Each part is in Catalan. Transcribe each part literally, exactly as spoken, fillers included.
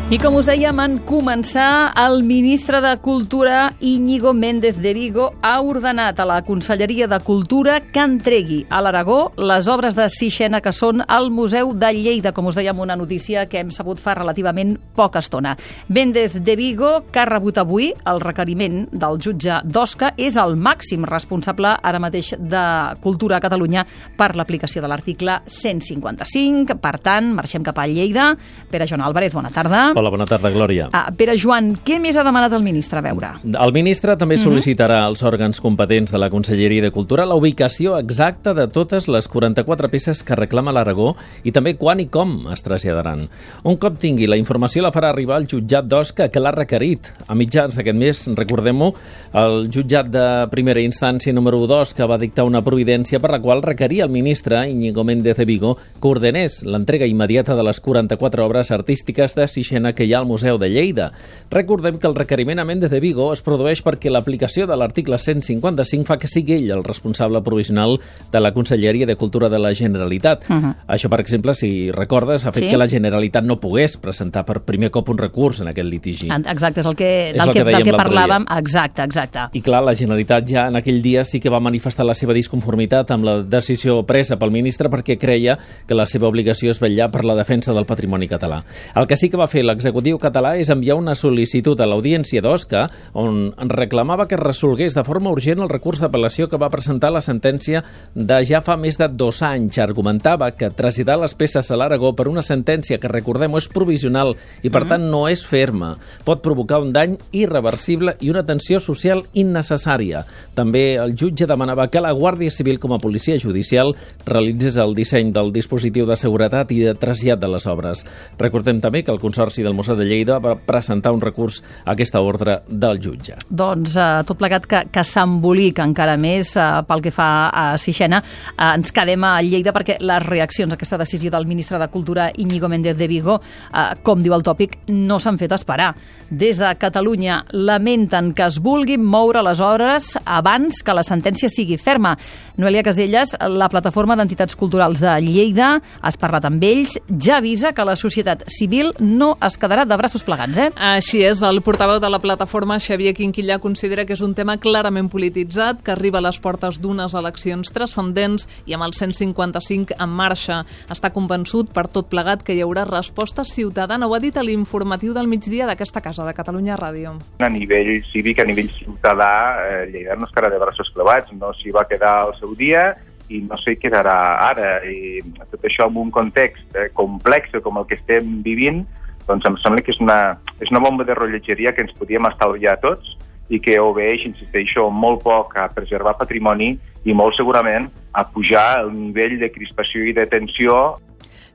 I com us dèiem, en començar, el ministre de Cultura, Íñigo Méndez de Vigo, ha ordenat a la Conselleria de Cultura que entregui a l'Aragó les obres de Sixena que són al Museu de Lleida, com us dèiem, una notícia que hem sabut fa relativament poca estona. Méndez de Vigo, que ha rebut avui el requeriment del jutge d'Osca, és el màxim responsable ara mateix de Cultura a Catalunya per l'aplicació de l'article cent cinquanta-cinc. Per tant, marxem cap a Lleida. Pere Joan Álvarez, bona tarda. Hola, bona tarda, Glòria. Ah, Pere Joan, què més ha demanat el ministre? A veure. El ministre també sol·licitarà als òrgans competents de la Conselleria de Cultura la ubicació exacta de totes les quaranta-quatre peces que reclama l'Aragó i també quan i com es traslladaran. Un cop tingui la informació la farà arribar al jutjat d'Osca, que l'ha requerit. A mitjans d'aquest mes, recordem-ho, el jutjat de primera instància número dos que va dictar una providència per la qual requeria el ministre Íñigo Méndez de Vigo que ordenés l'entrega immediata de les quaranta-quatre obres artístiques de Sixena que hi ha al Museu de Lleida. Recordem que el requeriment a Méndez de Vigo es produeix perquè l'aplicació de l'article cent cinquanta-cinc fa que sigui ell el responsable provisional de la Conselleria de Cultura de la Generalitat. Uh -huh. Això, per exemple, si recordes, ha fet sí? que la Generalitat no pogués presentar per primer cop un recurs en aquest litigi. Exacte, és el que, del és el que, que, del que parlàvem. Exacte, exacte. I clar, la Generalitat ja en aquell dia sí que va manifestar la seva disconformitat amb la decisió presa pel ministre perquè creia que la seva obligació és vetllar per la defensa del patrimoni català. El que sí que va fer l'executiu català és enviar una sol·licitud a l'Audiència d'Osca on reclamava que es resolgués de forma urgent el recurs d'apel·lació que va presentar la sentència de ja fa més de dos anys. Argumentava que traslladar les peces a l'Aragó per una sentència que, recordem-ho, és provisional i per tant no és ferma. Pot provocar un dany irreversible i una tensió social innecessària. També el jutge demanava que la Guàrdia Civil, com a policia judicial, realitzés el disseny del dispositiu de seguretat i de trasllat de les obres. Recordem també que el Consorci del Museu de Lleida va presentar un recurs a aquesta ordre del jutge. Doncs eh, tot plegat que, que s'embolica encara més eh, pel que fa a Sixena. Eh, ens quedem a Lleida perquè les reaccions a aquesta decisió del ministre de Cultura, Íñigo Méndez de Vigo, eh, com diu el tòpic, no s'han fet esperar. Des de Catalunya lamenten que es vulguin moure les obres abans que la sentència sigui ferma. Noelia Caselles, la plataforma d'entitats culturals de Lleida, has parlat amb ells, ja avisa que la societat civil no es quedarà de braços plegats, eh? Així és, el portaveu de la plataforma, Xavier Quinquillà, considera que és un tema clarament polititzat, que arriba a les portes d'unes eleccions transcendents i amb el cent cinquanta-cinc en marxa. Està convençut per tot plegat que hi haurà resposta ciutadana. Ho ha dit a l'informatiu del migdia d'aquesta casa, de Catalunya Ràdio. A nivell cívic, a nivell ciutadà, eh, Lleida no es quedarà de braços clavats, no s'hi va quedar al seu dia i no s'hi quedarà ara. I tot això en un context eh, complex com el que estem vivint, doncs em sembla que és una, és una bomba de rellotgeria que ens podíem estalviar tots i que obeeix, insisteixo, molt poc a preservar patrimoni i molt segurament a pujar el nivell de crispació i de tensió.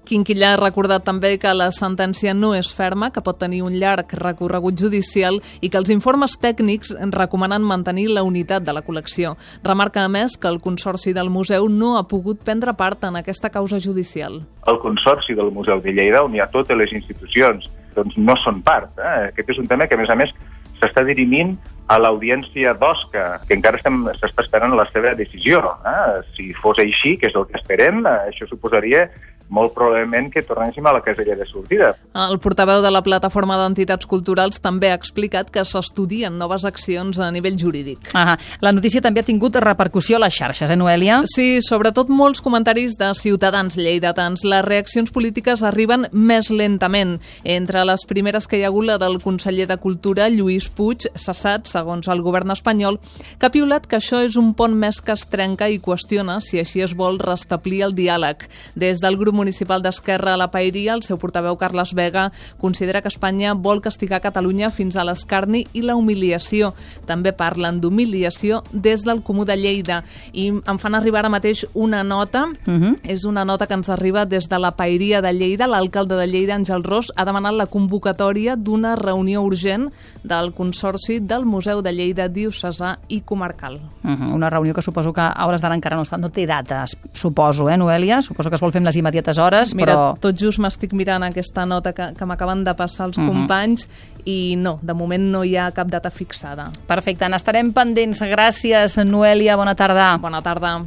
Quinquillà ha recordat també que la sentència no és ferma, que pot tenir un llarg recorregut judicial i que els informes tècnics recomanen mantenir la unitat de la col·lecció. Remarca, a més, que el Consorci del Museu no ha pogut prendre part en aquesta causa judicial. El Consorci del Museu de Lleida, on hi ha totes les institucions, doncs no són part. Eh? Aquest és un tema que, a més a més, s'està dirimint a l'Audiència d'Osca, que encara s'està esperant la seva decisió. Eh? Si fos així, que és el que esperem, eh, això suposaria molt probablement que tornéssim a la casella de sortida. El portaveu de la plataforma d'entitats culturals també ha explicat que s'estudien noves accions a nivell jurídic. Ah, la notícia també ha tingut repercussió a les xarxes, eh, Noelia? Sí, sobretot molts comentaris de ciutadans lleidatans. Les reaccions polítiques arriben més lentament. Entre les primeres que hi ha hagut la del conseller de Cultura, Lluís Puig, cessat, segons el govern espanyol, que ha piulat que això és un pont més que es trenca i qüestiona si així es vol restablir el diàleg. Des del grup municipal d'Esquerra a la Paeria, el seu portaveu Carles Vega considera que Espanya vol castigar Catalunya fins a l'escarni i la humiliació. També parlen d'humiliació des del Comú de Lleida i em fan arribar ara mateix una nota, uh-huh. és una nota que ens arriba des de la Paeria de Lleida. L'alcalde de Lleida, Àngel Ros, ha demanat la convocatòria d'una reunió urgent del Consorci del Museu de Lleida diocesà i comarcal. Uh-huh. Una reunió que suposo que a hores d'ara encara no està, no té dates, suposo, eh, Noelia? Suposo que es vol fer amb les immediates hores, Mira, però... tot just m'estic mirant aquesta nota que, que m'acaben de passar els uh-huh. companys i no, de moment no hi ha cap data fixada. Perfecte, n'estarem pendents. Gràcies, Noelia, bona tarda. Bona tarda.